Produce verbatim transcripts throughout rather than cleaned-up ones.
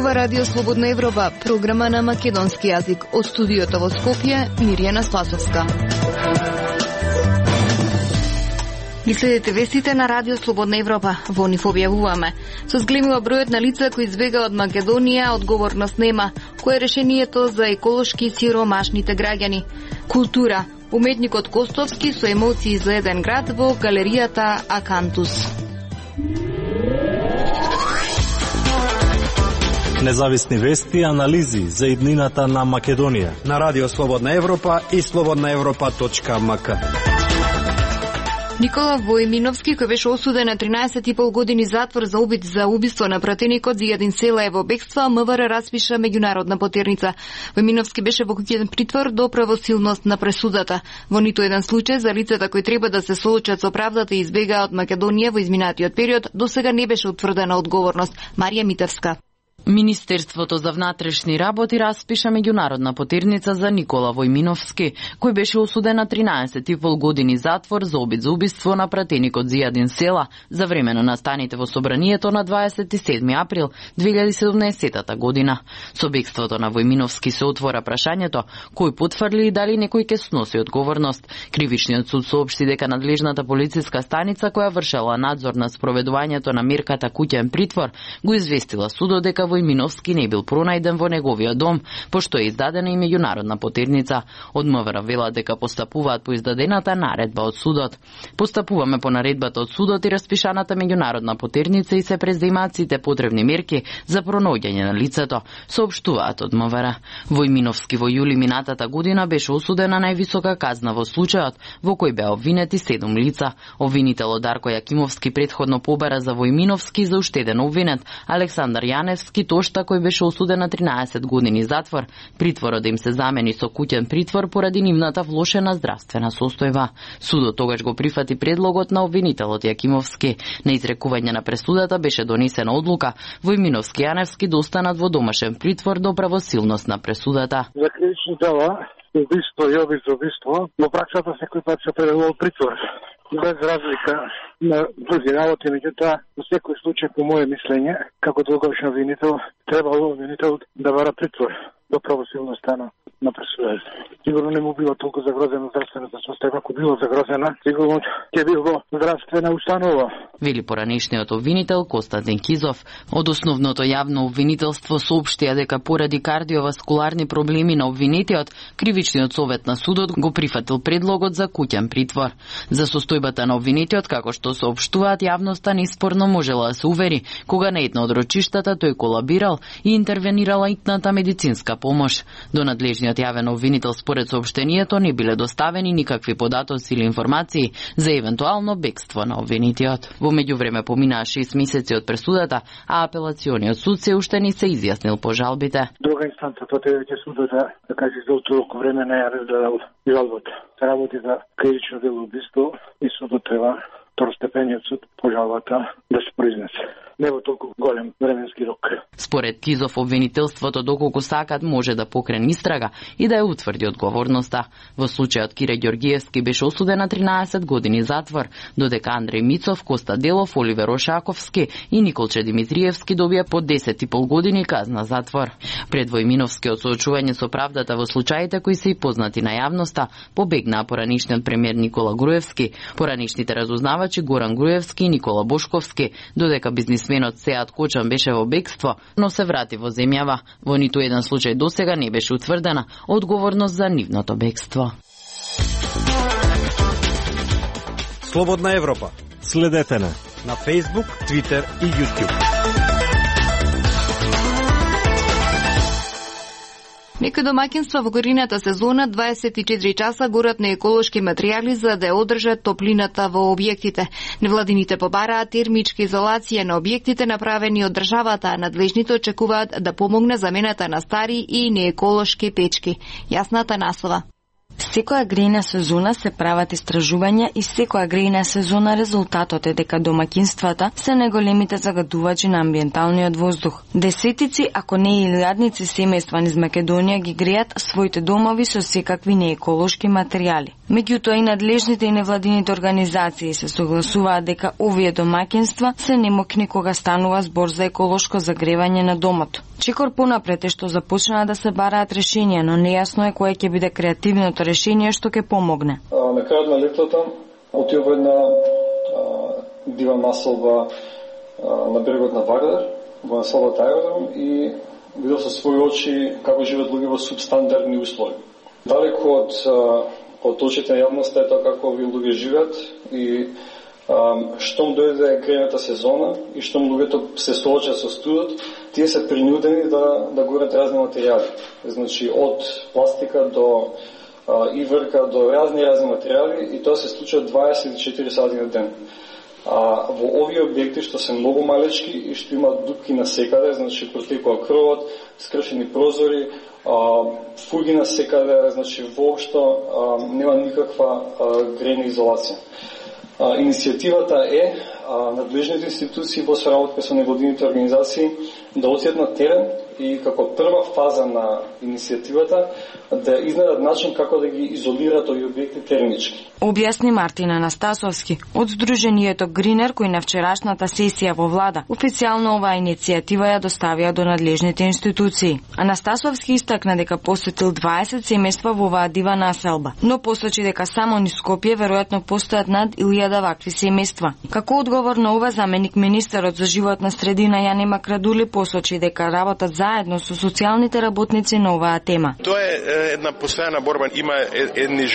Ова радио Слободна Европа, програма на македонски јазик. Од студиото во Скопје, Мирјана Спасовска. Ги следите вестите на радио Слободна Европа. Во нив објавуваме: со зголемува бројот на лица кои избега од Македонија, одговорност нема. Кој е решението за еколошки сиромашните граѓани? Култура. Уметникот Костовски со емоции за еден град во галеријата Акантус. Независни вести и анализи за иднината на Македонија на радио Слободна Европа и слободна европа точка ем ка. Никола Војминовски, кој беше осуден на тринаесет и пол години затвор за обид за убиство на пратеникот Зијадин Села е во бегство, МВР распиша меѓународна потерница. Војминовски беше во куќен притвор до правосилност на пресудата. Во ниту еден случај за лицата кои треба да се соочат со правдата и избегаа од Македонија во изминатиот период, досега не беше утврдена одговорност. Марија Митевска. Министерството за внатрешни работи распиша меѓународна потерница за Никола Војминовски, кој беше осуден на тринаесет и пол години затвор за обид за убиство на пратеникот Зијадин Села за време на настаните во собранието на дваесет и седми април две илјади и седумнаесета година. Со бегството на Војминовски се отвора прашањето кој потврди и дали некој ќе сноси одговорност. Кривичниот суд соопшти дека надлежната полициска станица која вршела надзор на спроведувањето на мерката куќен притвор го известила судот дека Војминовски не бил пронајден во неговиот дом, пошто е издадена и меѓународна потерница. Од МВР велат дека постапуваат по издадената наредба од судот. Постапуваме по наредбата од судот и распишаната меѓународна потерница и се преземаат сите потребни мерки за пронаоѓање на лицето, соопштуваат од МВР. Војминовски во јули минатата година беше осуден на највисока казна во случајот, во кој беа обвинети седум лица. Обвинителот Дарко Јакимовски претходно побара за Војминовски за уштеден обвинет Александар Јаневски Тошта, кој беше осуден на тринаесет години затвор. Притворот им се замени со куќен притвор поради нивната влошена здравствена состојба. Судот тогаш го прифати предлогот на обвинителот Јакимовски. На изрекување на пресудата беше донесена одлука Војминовски и Јаневски да останат во домашен притвор до правосилност на пресудата. За кривични дела, убиство и обид за убиство, во праксата секој пат се определува притвор. Без разлика на други работи, меѓутоа, во секој случај, по моје мислење, како долгорочен обвинител, требало обвинител да бара притвор до правосилноста на, на пресудата. Сигурно не му било толку загрозена здравствената состојба, ако било загрозена, сигурно ќе било здравствена установа. Вели поранешниот обвинител Константин Кизов. Од основното јавно обвинителство соопштија дека поради кардиоваскуларни проблеми на обвинетиот, кривичниот совет на судот го прифатил предлогот за куќен притвор. За состојбата на обвинетиот, како што соопштуваат јавноста, неспорно можела да се увери кога на едно од рочиштата тој колабирал и интервенирала итната медицинска помош. До надлежниот јавен обвинител според соопштението не биле доставени никакви податоци или информации за евентуално бегство на обвинетиот. Во меѓувреме поминаа шест месеци од пресудата, а апелациониот суд се уште не се изјаснил по жалбите. Друга инстанца тоа ќе судот да каже за толку време не ја разгледал жалбата. Работи за кривично дело убиство и судот треба второстепениот суд по жалбата да се произнесе. Не во толку голем временски рок. Според Кизов, обвинителството доколку сакат може да покрене истрага и да ја утврди одговорноста. Во случајот Кире Ѓоргиевски беше осуден на тринаесет години затвор, додека Андреј Мицов, Коста Делов, Оливер Ошаковски и Николче Димитриевски добија по десет и пол години казна затвор. Пред Војминовски од соочување со правдата во случаите кои се и познати на јавноста, побегнаа поранишниот премиер Никола Груевски, поранишните разузнавачи Горан Груевски и Никола Бошковски, додека бизнис Сменот Сеат Кочан беше во бегство, но се врати во земјава. Во ниту еден случај досега не беше утврдена одговорност за нивното бегство. Слободна Европа. Следете на на Facebook, Twitter и YouTube. Некои домаќинства во горината сезона дваесет и четири часа горат на еколошки материјали за да ја одржат топлината во објектите. Невладините побараат термичка изолација на објектите направени од државата, а надлежните очекуваат да помогне замената на стари и нееколошки печки. Јасна Атанасова. Секоја грејна сезона се прават истражувања и секоја грејна сезона резултатот е дека домаќинствата се најголемите загадувачи на амбиенталниот воздух. Десетици, ако не и илјадници семејства низ Македонија ги грејат своите домови со секакви нееколошки материјали. Меѓутоа и надлежните и невладините организации се согласуваат дека овие домаќинства се немокни кога станува збор за еколошко загревање на домот. Чекор понапред е што започнаа да се бараат решенија, но нејасно е кое ќе биде креативното решение што ќе помогне. А, на крајот на летото отидов една дива населба а, на брегот на Вардар, во населбата Аеродром, и видов со своји очи како живеат луѓе во субстандардни услови. Далеко од од очите на јавноста е тоа како овие луѓе живеат и а, штом дојде грејната сезона и штом луѓето се соочат со студот, тие се принудени да да горат разни материјали. Значи од пластика до а, иврка до разни разни материјали, и тоа се случува дваесет и четири сати на ден. А, во овие објекти што се многу малечки и што имаат дупки на секаде, значи протекува крвот, скршени прозори, а, фуги на секаде, значи воопшто а, нема никаква а, грејна изолација. А, иницијативата е а, надлежните институции во соработка со невладините организации да отидат на терен и како прва фаза на иницијативата да изнајдат начин како да ги изолираат овие објекти термички. Објасни Мартин Анастасовски од Сдруженијето Гринер, кој на вчерашната сесија во влада официјално оваа иницијатива ја доставија до надлежните институции. Анастасовски истакна дека посетил дваесет семејства во оваа дива населба, но посочи дека само низ Скопје веројатно постојат над илјада вакви семејства. Како одговор на ова, заменик министерот за животна средина Јане Макрадули посочи дека работат заедно со социјалните работници на оваа тема. Тоа е една постојана борба. Има едни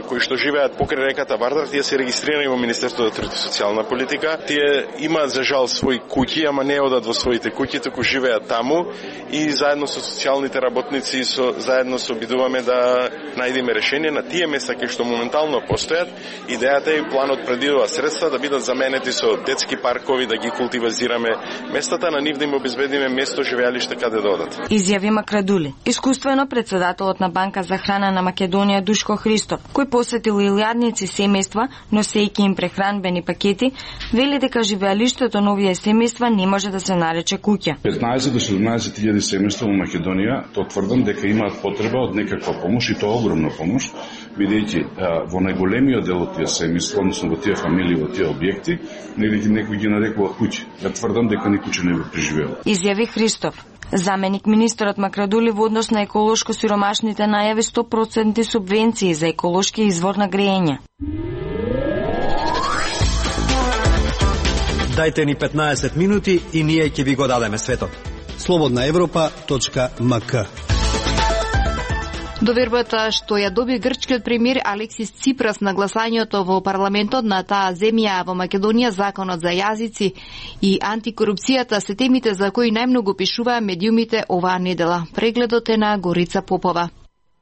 кои што живеат покрај реката Вардар, тие се регистрирани во Министерството за труд и социјална политика. Тие имаат за жал своји куќи, ама не одат во своите куќи, туку живеат таму и заедно со социјалните работници со заедно се обидуваме да најдеме решение на тие места кои што моментално постојат. Идејата е планот предвидува средства да бидат заменети со детски паркови, да ги култивизираме местата, на нив да им обезбедиме место живеалиште каде да одат. Изјави Макрадули. Искуствено председателот на Банка за храна на Македонија Душко Христов, кој посетил илјадници семејства, носејќи им прехранбени пакети, вели дека живеалиштето на овие семејства не може да се нарече куќа. петнаесет до седумнаесет илјади семејства во Македонија, тоа тврдам дека имаат потреба од некаква помош, и тоа огромна помош, бидејќи во најголемиот дел од тие семејства, односно во тие фамилии, во тие објекти, некој ги нарекува куќи. Ја тврдам дека ни куќа не го преживеало. Изјави Христов. Заменик министерот Макрадули во однос на еколошко сиромашните најави сто проценти субвенции за еколошки извор на грејење. Дајте ни петнаесет минути и ние ќе ви го дадеме светот. слободна европа точка ем ка. Довербата што ја доби грчкиот премиер Алексис Ципрас на гласањето во парламентот на таа земја во Македонија, законот за јазици и антикорупцијата се темите за кои најмногу пишуваа медиумите оваа недела. Прегледот е на Горица Попова.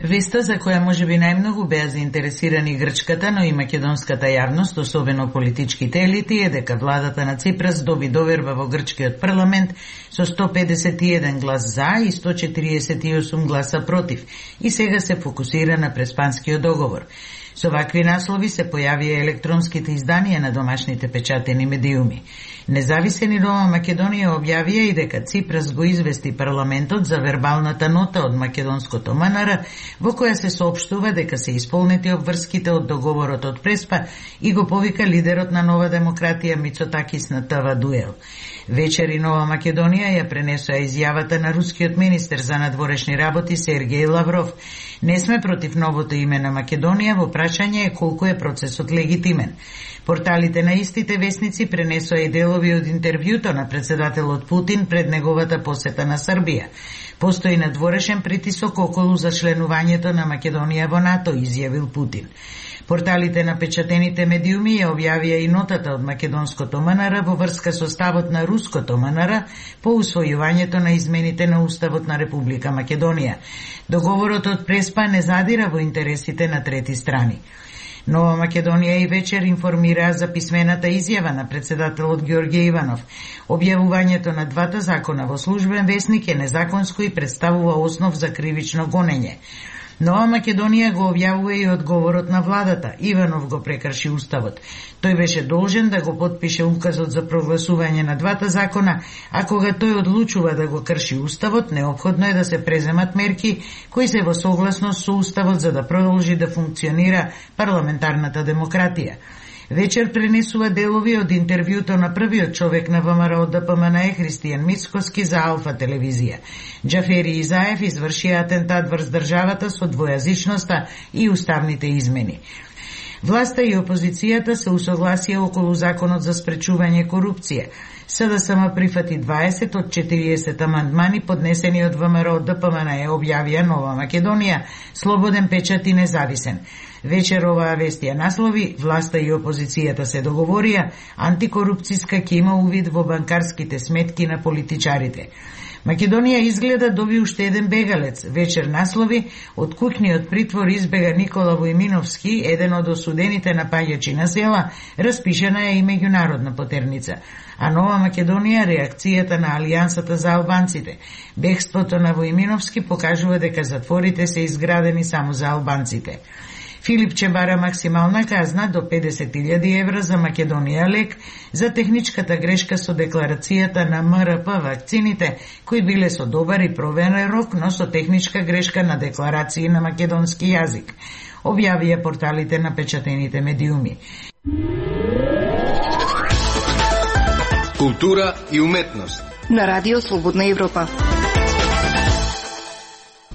Веста за која можеби најмногу беа заинтересирани грчката, но и македонската јавност, особено политичките елити, е дека владата на Ципрас доби доверба во грчкиот парламент со сто педесет и еден глас за и сто четириесет и осум гласа против, и сега се фокусира на преспанскиот договор. Со вакви наслови се појавија електронските изданија на домашните печатени медиуми. Независени Нова Македонија објавија и дека Ципрас го извести парламентот за вербалната нота од македонското МНР, во која се соопштува дека се исполнети обврските од договорот од Преспа, и го повика лидерот на Нова демократија Мицотакис на ТВ Дуел. Вечери Нова Македонија ја пренесоа изјавата на рускиот министер за надворешни работи Сергеј Лавров. Не сме против новото име на Македонија, во прашање е колку е процесот легитимен. Порталите на истите весници пренесоа и делови од интервјуто на председателот Путин пред неговата посета на Србија. Постои надворешен притисок околу зачленувањето на Македонија во НАТО, изјавил Путин. Порталите на печатените медиуми ја објавија и нотата од македонското МНР во врска со ставот на руското МНР по усвојувањето на измените на Уставот на Република Македонија. Договорот од Преспа не задира во интересите на трети страни. Нова Македонија и вечер информира за писмената изјава на председателот Ѓорѓе Иванов. Објавувањето на двата закона во службен весник е незаконско и представува основ за кривично гонење. Нова Македонија го објавува и одговорот на владата. Иванов го прекрши уставот. Тој беше должен да го потпише указот за прогласување на двата закона, а кога тој одлучува да го крши уставот, неопходно е да се преземат мерки кои се во согласност со уставот за да продолжи да функционира парламентарната демократија. Вечер пренесува делови од интервјуто на првиот човек на ВМРО Д П М Н Е Христијан Мицкоски за Алфа телевизија. Џафери Изаев изврши атентат врз државата со двојазичноста и уставните измени. Власта и опозицијата се усогласија околу законот за спречување корупција. С Д С М прифати дваесет од четириесет амандмани поднесени од ВМРО Д П М Н Е, објавија Нова Македонија, слободен печат и независен. Вечер оваа вест ја наслови: власта и опозицијата се договорија, антикорупцијска ќе има увид во банкарските сметки на политичарите. Македонија изгледа доби уште еден бегалец. Вечер наслови: од куќниот притвор избега Никола Војминовски, еден од осудените напаѓачи на села, распишана е и меѓународна потерница. А Нова Македонија реакцијата на Алијансата за албанците. Бегството на Војминовски покажува дека затворите се изградени само за албанците. Филипче бара максимална казна до педесет илјади евра за Македонија лек за техничката грешка со декларацијата на М Р П вакцините, кои биле со добар и проверен рок, но со техничка грешка на декларации на македонски јазик, објавија порталите на печатените медиуми. Култура и уметност на Радио Слободна Европа.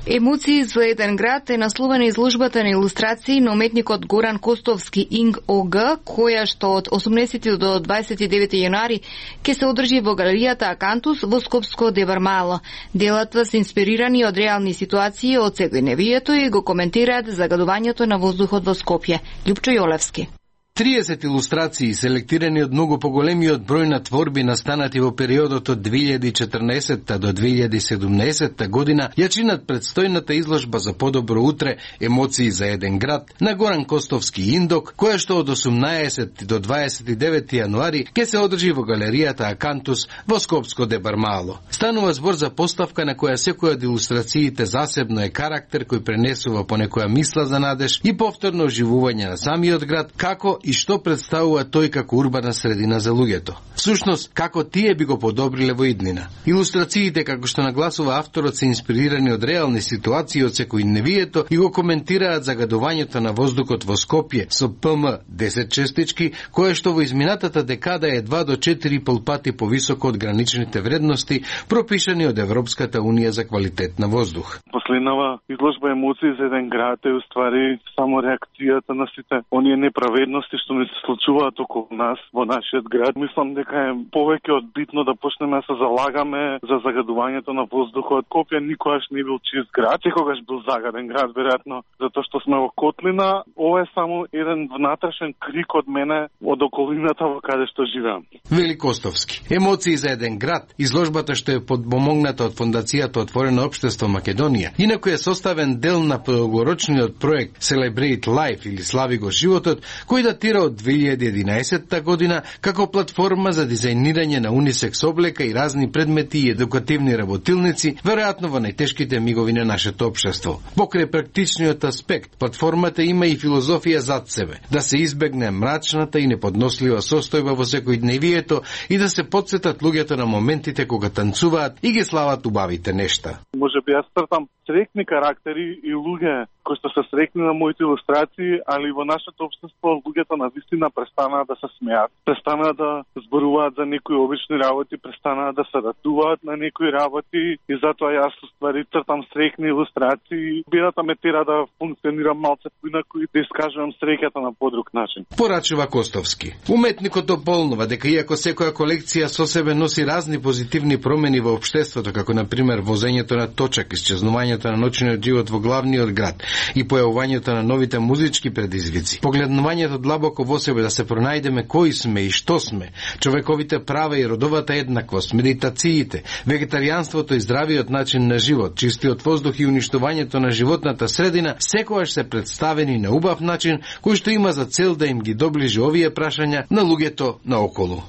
Емоции за еден град е насловена изложбата на илустрации на уметникот Горан Костовски Инг О Г, која што од осумнесети до дваесет и девети јануари ќе се одржи во галеријата Акантус во Скопско Девармало. Делата се инспирирани од реални ситуации од секојдневието и го коментираат загадувањето на воздухот во Скопје. Љупчо Јолевски. триесет илустрации, селектирани од многу поголемиот број на творби настанати во периодот од две илјади и четрнаесетта до две илјади и седумнаесетта година, ја чинат предстојната изложба за подобро утре, емоции за еден град, на Горан Костовски Индок, која што од осумнаесети до дваесет и девети јануари ќе се одржи во галеријата Акантус во Скопско Дебармало. Станува збор за поставка на која секоја од илустрациите засебно е карактер кој пренесува по некоја мисла за надеж и повторно оживување на самиот град, како и што представува тој како урбана средина за луѓето. Всушност, како тие би го подобриле во иднина. Илустрациите, како што нагласува авторот, се инспирирани од реални ситуации од секојдневието и го коментираат загадувањето на воздухот во Скопје со П М десет честички, кое што во изминатата декада е два до четири и пол пати повисоко од граничните вредности пропишани од Европската унија за квалитет на воздух. Последнава изложба емоции за еден град е уствари само реакцијата на сите оние неправедности што ни се случуваат околу нас во нашиот град. Мислам дека е повеќе од битно да почнеме да се залагаме за загадувањето на воздухот. Скопје никогаш не бил чист град, секогаш бил загаден град, веројатно затоа што сме во котлина. Ова е само еден внатрешен крик од мене од околината во каде што живеам. Вели Костовски. Емоции за еден град, изложбата што е подпомогната од фондацијата Отворено општество Македонија, инаку е составен дел на долгорочниот проект Celebrate Life или Слави го животот, кој датира од две илјади и единаесетта година како платформа за дизајнирање на унисекс облека и разни предмети и едукативни работилници, веројатно во најтешките мигови на нашето општество. Покрај практичниот аспект, платформата има и филозофија зад себе, да се избегне мрачната и неподнослива состојба во секојдневието и да се потсетат луѓето на моментите кога танцуваат и ги слават убавите нешта. Може би јас цртам срекни карактери и луѓе кои што се срекни на моите илустрации, али во нашето општество луѓето на вистина престанаа да се смеат, престанаа да зборуваат за некои обични работи, престанаа да се радуваат на некои работи и затоа јас ствари цртам срекни илустрации. Бедата ме тера да функционирам малце поинаку и да искажувам среќата на подруг начин. Порачува Костовски. Уметникот дополнува дека иако секоја колекција со себе носи разни позитивни промени во општеството, како на пример возењето на точак, исчезнувањето на ноќниот живот во главниот град и појавувањето на новите музички предизвици, погледнувањето длабоко во себе да се пронајдеме кои сме и што сме, човековите права и родовата еднаквост, медитациите, вегетаријанството и здравиот начин на живот, чистиот воздух и уништувањето на животната средина, секогаш се представени на убав начин кој што има за цел да им ги доближи овие прашања на луѓето наоколу.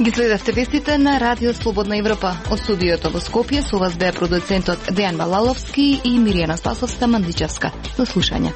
Ги следевте вестите на Радио Слободна Европа. Од студиото во Скопје со вас беа продуцентот Дејан Балаловски и Миријана Спасовска Мандичевска. До слушање.